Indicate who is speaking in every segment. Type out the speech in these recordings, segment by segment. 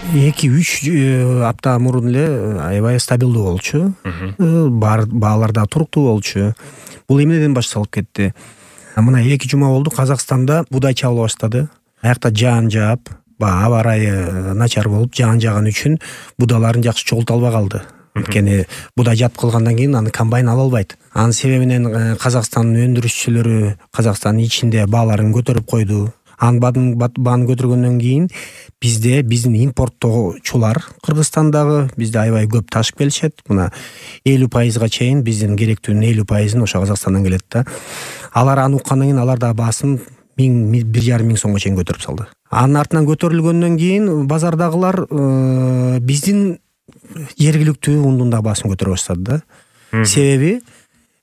Speaker 1: 2-3 апта мурун эле аябай стабилдүү болчу. Баалар да туруктуу болчу. Бул эмнеден башталып кетти? Мына 2 жума болду Казакстанда буудай чабыла баштады. Аякта жаан жаап, аба ырайы начар болуп жаан жааган үчүн будаларын жакшы чогулта албай калды. Анткени буудай жатып калгандан кийин аны комбайн ала албайт. Анын себебинен Казакстандын өндүрүшчүлөрү Казакстандын ичинде бааларын көтөрүп койду. Анын бааны көтөргөндөн кийин биздин импорттоочулар Кыргызстандагы бизде аябай көп ташып келишет. Мына 50% чейин биздин керектүүнүн 50% ошо Казакстандан келет да. Алар аны уккандан кийин алар да баасын 1,5 миң сомго чейин көтөрүп салды. Анын артынан көтөрүлгөндөн кийин базардагылар биздин жергиликтүү ундун да баасын көтөрө баштады да. Себеби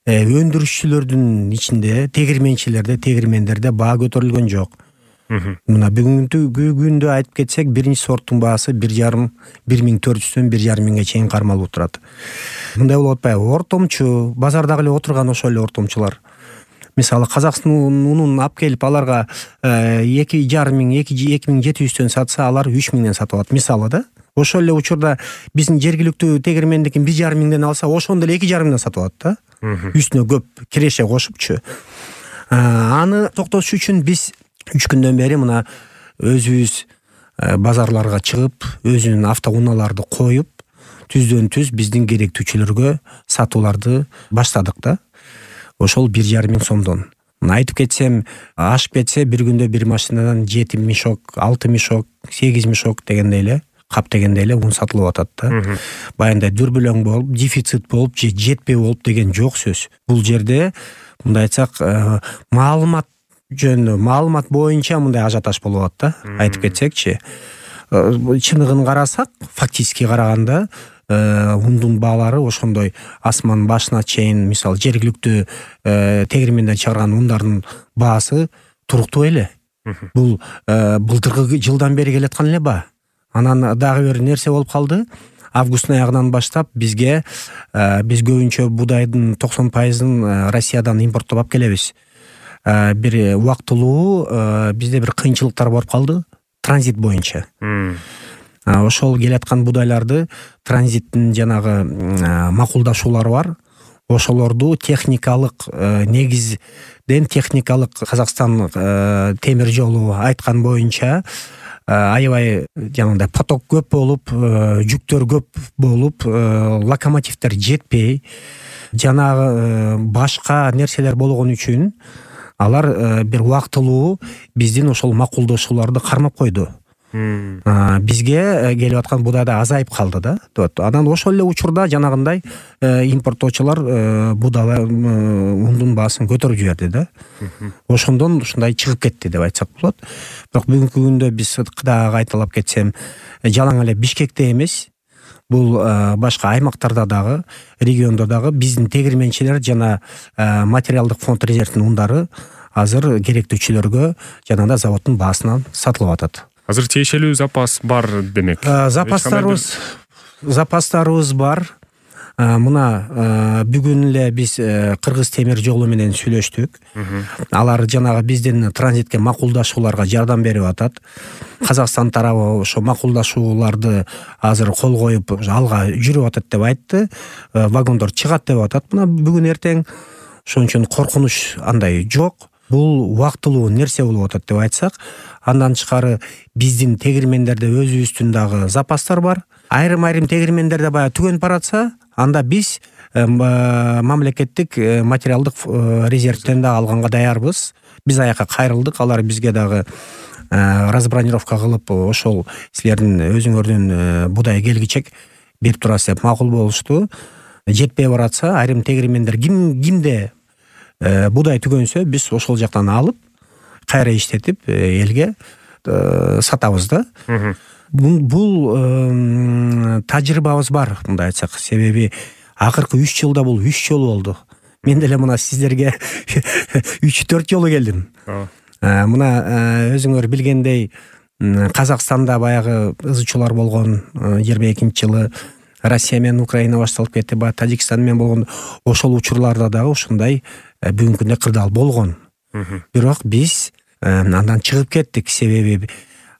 Speaker 1: өндүрүшчүлөрдүн ичинде тегирмендерде баа көтөрүлгөн жок. Мына бүгүнкү күндө айтып кетсек, биринчи сорттун баасы 1,400-дөн 1,5 миңге чейин кармалып турат. Мындай болуп атпайбы? Ортомчу базардагы эле отурган ошол эле ортомчулар. Мисалы Казакстан унун алып келип аларга 2,5 миң, 2,700дөн сатса, алар 3 миңден сатып алат. Мисалы да. Ошол эле учурда биздин жергиликтүү тегирмендикин 1,5 миңден алса, ошондо эле 2,5 миңден сатып алат да. Үстүнө көп киреше кошупчу. Аны токтотуш үчүн биз 3 күндөн бери мына өзүбүз базарларга чыгып, өзүнүн автоунааларды коюп, түздөн түз биздин керектүүчүлөргө сатууларды баштадык да. Ошол 1,5 миң сомдон. Мына айтып кетсем, ашып кетсе бир күндө бир машинадан 7 мешок, 6 мешок, 8 мешок дегендей эле, кап дегендей эле ун сатылып атат да. Баягындай дүрбүлөң болуп, дефицит болуп, же жетпей болуп деген жок сөз. Бул жерде мындай айтсак, маалымат боюнча мындай ажиотаж болуп атат да. Айтып кетсекчи, чыныгын карасак, фактически караганда ундун баалары ошондой асман башына чейин, мисалы жергиликтүү тегирмендер чыгарган ундардын баасы туруктуу эле. Бул былтыркы жылдан бери келаткан эле баа. Анан дагы бир нерсе болуп калды. Августтун аягынан баштап биз көбүнчө будайдын 90%-ын Россиядан импорттоп алып келебиз. Бир убактылуу бизде бир кыйынчылыктар болуп калды транзит боюнча. Ошол келаткан будайларды транзиттин жанагы макулдашуулары бар. Ошолорду техникалык негизден Казакстан темир жолу айткан боюнча аябай жанагындай поток көп болуп, жүктөр көп болуп, локомотивдер жетпей, жанагы башка нерселер болгон үчүн алар бир убактылуу биздин ошол макулдашууларды кармап койду. Бизге келип аткан будай да азайып калды да. Анан ошол эле учурда жанагындай импорттоочулар будай ундун баасын көтөрүп жиберди да. Ошондон ушундай чыгып кетти деп айтсак болот. Бирок бүгүнкү күндө биз дагы кайталап кетсем, жалаң эле Бишкекте эмес, бул башка аймактарда дагы, региондо дагы биздин тегирменчилер жана материалдык фонд резервдин ундары азыр керектүүчүлөргө жанагындай заводдун баасынан сатылып атат.
Speaker 2: Азыр тиешелүү запас бар демек.
Speaker 1: Запастарыбыз бар. Мына бүгүн эле биз Кыргыз темир жолу менен сүйлөштүк. Алар жанагы биздин транзитке макулдашууларга жардам берип атат. Казакстан тарабы ошо макулдашууларды азыр кол коюп алга жүрүп атат деп айтты. Вагондор чыгат деп атат. Мына бүгүн эртең ошон үчүн коркунуч андай жок. Бул убактылуу нерсе болуп атат деп айтсак, андан тышкары биздин тегирмендерде өзүбүздүн дагы запастар бар. Айрым тегирмендерде баягы түгөнүп баратса, анда биз мамлекеттик материалдык резервден да алганга даярбыз. Биз аяка кайрылдык, алар бизге дагы разбронировка кылып, ошол силердин өзүңөрдүн будай келгичек берип турасыз деп макул болушту. Жетпей баратса, айрым тегирмендер кимде будай түгөнсө, биз ошол жактан алып, кайра иштетип, элге сатабыз да. Бул тажрыйбабыз бар, мындай айтсак. Себеби акыркы 3 жылда бул 3 жолу болду. Мен деле мына сиздерге 3-4 жолу келдим. Мына өзүңөр билгендей, Казакстанда баягы ызычуулар болгон 22-жылы Россия менен Украина башталып кетти, баягы Тажикстан менен болгон ошол учурларда дагы ушундай бүгүнкү күндө кырдаал болгон. Бирок биз андан чыгып кеттик, себеби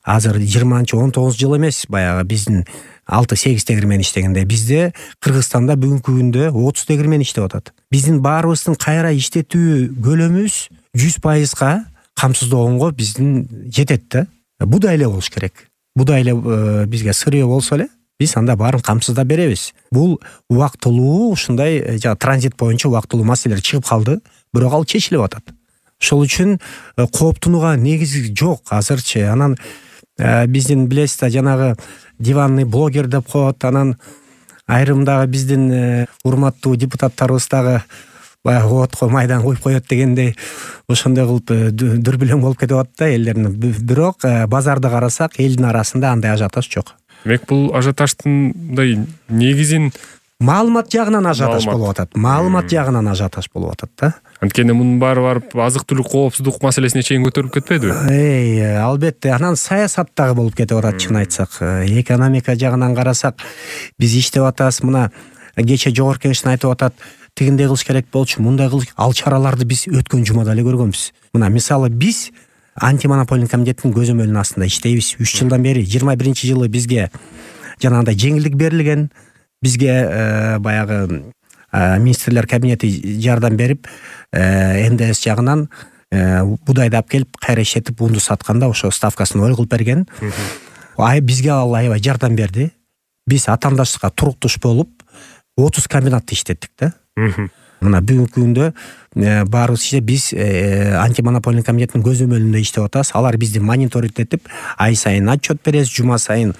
Speaker 1: азыр 20-19 жыл эмес, баягы биздин 6-8 тегирмен иштегенде. Бизде Кыргызстанда бүгүнкү күндө 30 тегирмен иштеп атат. Биздин баарыбыздын кайра иштетүү көлөмүбүз 100%га камсыздогонго биздин жетет да. Будай эле болуш керек. Будай эле бизге сырье болсо эле биз анда баарын камсыздап беребиз. Бул убактылуу ушундай транзит боюнча убактылуу маселелер чыгып калды, бирок ал чечилип атат. Ошол үчүн кооптонууга негиз жок азырчы. Анан биздин билесиз да, жанагы диванный блогер деп коет, анан айрым дагы биздин урматтуу депутаттарыбыз дагы баягы отко майдан куюп коет дегендей ошондой кылып дүрбүлөң болуп кетип атат да элдердин. Бирок базарды карасак элдин арасында андай ажиотаж жок.
Speaker 2: Демек бул ажиотаждын мындай негизин
Speaker 1: маалымат жагынан ажиотаж болуп атат. Маалымат жагынан ажиотаж болуп атат да.
Speaker 2: Анткени мунун баары барып азык-түлүк коопсуздук маселесине чейин көтөрүлүп кетпедиби?
Speaker 1: Албетте. Анан саясат дагы болуп кетип атат, чын айтсак. Экономика жагынан карасак биз иштеп атабыз. Мына кече жогорку кеңештин айтып атат, тигиндей кылыш керек болчу, мындай кылыш. Ал чараларды биз өткөн жумада эле көргөнбүз. Мына мисалы биз антимонополный комитеттин көзөмөлүнүн астында иштейбиз. 3 жылдан бери 21-жылы бизге жанагындай жеңилдик берилген. Бизге баягы министрлер кабинети жардам берип, НДС жагынан будайды алып келип кайра иштетип унду сатканда ошо ставкасын ой кылып берген. Бизге ал аябай жардам берди. Биз атаандаштыкка туруктуш болуп 30 комбинатты иштеттик да. Мына бүгүнкү күндө баарыбыз иште биз антимонополный комитеттин көзөмөлүндө иштеп атабыз. Алар бизди мониторинг этип, ай сайын отчет беребиз, жума сайын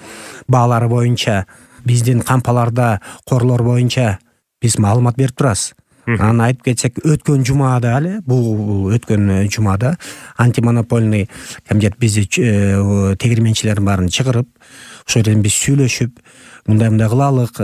Speaker 1: баалары боюнча, биздин кампаларда корлор боюнча биз маалымат берип турабыз. Анан айтып кетсек, өткөн жумада эле, бул өткөн жумада антимонополный комитет бизди тегирменчилердин баарын чыгарып, ошол жерден биз сүйлөшүп, мындай кылалык,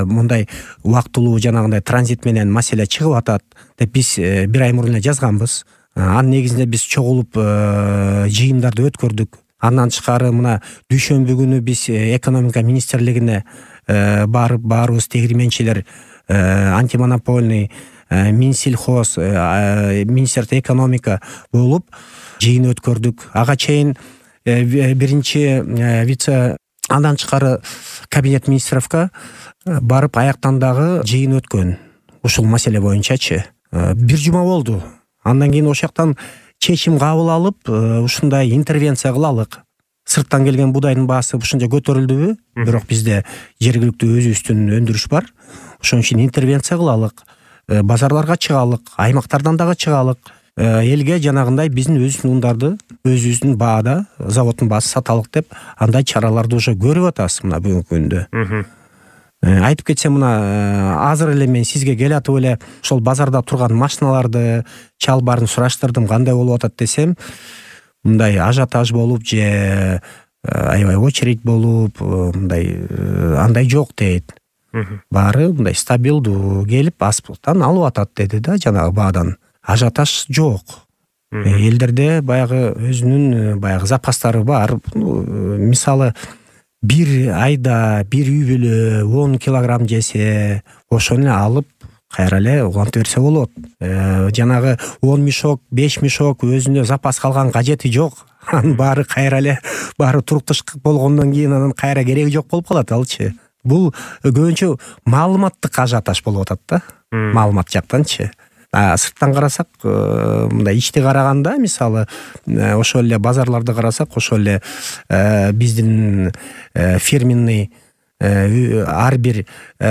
Speaker 1: мындай убактылуу жанагындай транзит менен маселе чыгып атат деп биз бир ай мурун эле жазганбыз. Анын негизинде биз чогулуп жыйындарды өткөрдүк. Андан тышкары мына дүйшөмбү күнү биз экономика министрлигине барып, баарыбыз тегирменчилер, антимонополный, Минсельхоз, Министерство экономика болуп жыйын өткөрдүк. Ага чейин биринчи вице, андан тышкары кабинет министровка барып аяктан дагы жыйын өткөн. Ушул маселе боюнчачы. Бир жума болду. Андан кийин ошол жактан чечим кабыл алып, ушундай интервенция кылалык. Сырттан келген будайдын баасы ушунча көтөрүлдүбү? Бирок бизде жергиликтүү өзүбүздүн өндүрүш бар. Ошон үчүн интервенция кылалык. Базарларга чыгалык, аймактардан дагы чыгалык. Элге жанагындай биздин өзүбүздүн ундарды өзүбүздүн баада, заводдун баасы саталык деп андай чараларды уже көрүп атабыз мына бүгүнкү күндө. Айтып кетсем, мына азыр эле мен сизге келатып эле ошол базарда турган машиналарды, чалбарын сураштырдым, кандай болуп атат десем, мындай ажиотаж болуп же аябай очередь болуп, мындай андай жок дейт. Баары мындай стабилдүү келип аспыктан алып атат деди да, жанагы баадан. Ажиотаж жок. Элдерде баягы өзүнүн баягы запастары бар. Мисалы бир айда бир үй бүлө 10 килограмм жесе, ошону алып кайра эле улантып берсе болот. Жанагы 10 мешок, 5 мешок өзүнө запас калган кажети жок. Анын баары кайра эле баары туруктуш болгондон кийин анан кайра кереги жок болуп калат алчы. Бул көбүнчө маалыматтык ажиотаж болуп атат да. Маалымат жактанчы. Сырттан карасак, мындай ичти караганда, мисалы, ошол эле базарларды карасак, ошол эле биздин фирменный, ар бир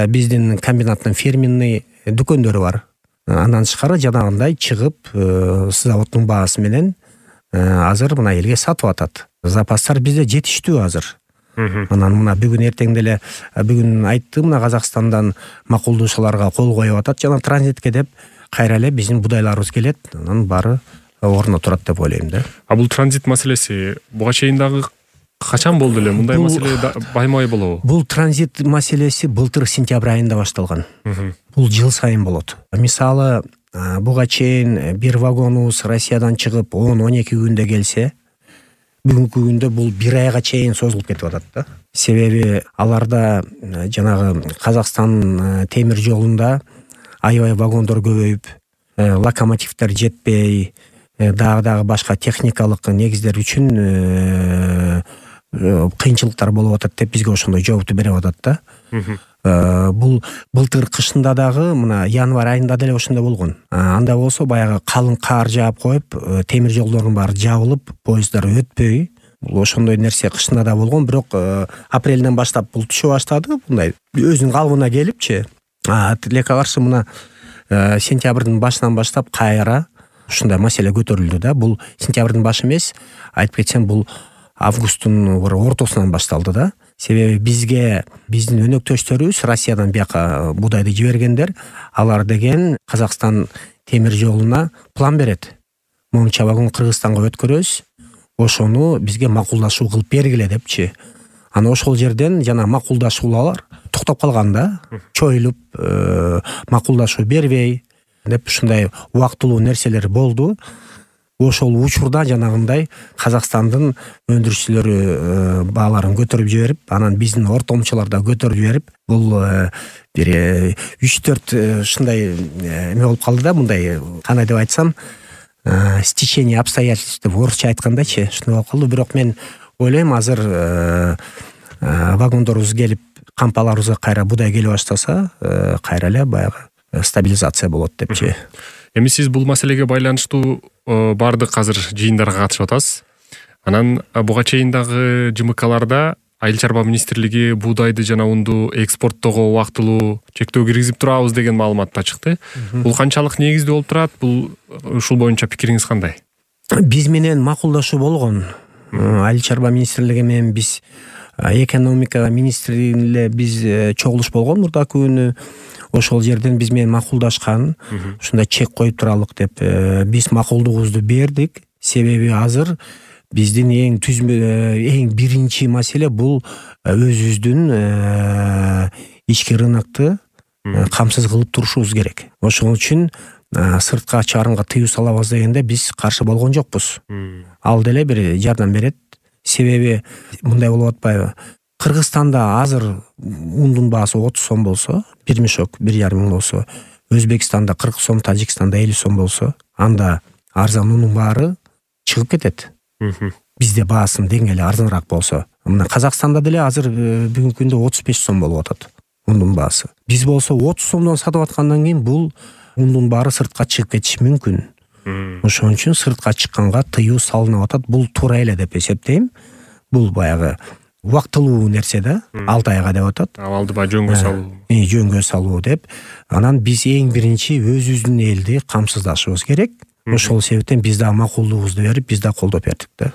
Speaker 1: биздин комбинаттын фирменный дүкөндөрү бар. Андан тышкары жанагындай чыгып, заводдун баасы менен азыр мына элге сатып атат. Запастар бизде жетиштүү азыр. Анан мына бүгүн эртең деле бүгүн айтты, мына Казакстандан макулдоочуларга кол коюп атат жана транзитке деп, кайра эле биздин будайларыбыз келет, анан баары ордуна турат деп ойлойм да.
Speaker 2: Бул транзит маселеси буга чейин дагы качан болду эле? Мындай маселе баймай болобу?
Speaker 1: Бул транзит маселеси былтыр сентябрь айында башталган. Бул жыл сайын болот. Мисалы, буга чейин бир вагонубуз Россиядан чыгып 10-12 күндө келсе, бүгүнкү күндө бул бир айга чейин созулуп кетип атат да. Себеби аларда жанагы Казакстан темир жолунда аябай вагондор көбөйүп, локомотивдер жетпей, дагы башка техникалык негиздер үчүн кыйынчылыктар болуп атат деп бизге ошондой жоопту берип атат да. Бул былтыр кышында дагы мына январь айында деле ошондой болгон. Анда болсо баягы калың кар жаап коюп, темир жолдордун баары жабылып, поездар өтпөй, бул ошондой нерсе кышында да болгон. Бирок апрелден баштап бул түшө баштады, мындай өзүнүн калыбына келипчи. Тилекке каршы мына сентябрдын башынан баштап кайра ушундай маселе көтөрүлдү да. Бул сентябрдын башы эмес, айтып кетсем, бул августтун бир ортосунан башталды да. Себеби биздин өнөктөштөрүбүз Россиядан бияка буудайды жибергендер, алар деген Казакстан темир жолуна план берет. Момча вагон Кыргызстанга өткөрөбүз, ошону бизге макулдашуу кылып бергиле депчи. Ана ошол жерден жана макулдашуулар токтоп калган да. Чоюлуп, макулдашуу бербей деп ушундай убактылуу нерселер болду. Ошол учурда жанагындай Казакстандын өндүрүүчүлөрү бааларын көтөрүп жиберип, анан биздин ортомчулар да көтөрүп жиберип, бул бир 3-4 ушундай эме болуп калды да, мындай кандай деп айтсам, стечение обстоятельств деп орусча айткандачы, ушундай болуп калды. Бирок мен ойлойм, азыр вагондорубуз келип, кампаларыбызга кайра будай келе баштаса, кайра эле баягы стабилизация болот депчи.
Speaker 2: Эми сиз бул маселеге байланыштуу баардык азыр жыйындарга катышып атасыз. Анан буга чейин дагы ЖМКларда Айыл чарба министрлиги буудайды жана унду экспорттоого убактылуу чектөө киргизип турабыз деген маалымат да чыкты. Бул канчалык негиздүү болуп турат? Бул ушул боюнча пикириңиз кандай?
Speaker 1: Биз менен макулдашуу болгон. Айыл чарба министрлиги менен биз экономика министрлигине биз чогулуш болгон мурдакы күнү. Ошол жерден биз менен макулдашкан, ушундай чек коюп туралык деп биз макулдугубузду бердик. Себеби азыр биздин эң биринчи маселе бул өзүбүздүн ички рынокты камсыз кылып турушубуз керек. Ошол үчүн сыртка чыгарымга тыюу салабыз дегенде биз каршы болгон жокпуз. Ал деле бир жардам берет. Себеби мындай болуп атпайбы? Кыргызстанда азыр ундун баасы 30 сом болсо, бир мешок 1,5 мың болсо, Өзбекстанда 40 сом, Тажикстанда 50 сом болсо, анда арзан унун баары чыгып кетет. Бизде баасын деңгээли арзаныраак болсо. Мына Казакстанда деле азыр бүгүнкү күндө 35 сом болуп атат ундун баасы. Биз болсо 30 сомдон сатып аткандан кийин бул ундун баары сыртка чыгып кетиши мүмкүн. Ошон үчүн сыртка чыкканга тыюу салынып атат. Бул туура эле деп эсептейм. Бул баягы убактылуу нерсе да, 6 айга деп атат.
Speaker 2: Абалдыбай жөнгө салуу.
Speaker 1: Жөнгө салуу деп. Анан биз эң биринчи өзүбүздүн элди камсыздашыбыз керек. Ошол себептен биз да макулдугубузду берип, биз да колдоп бердик да.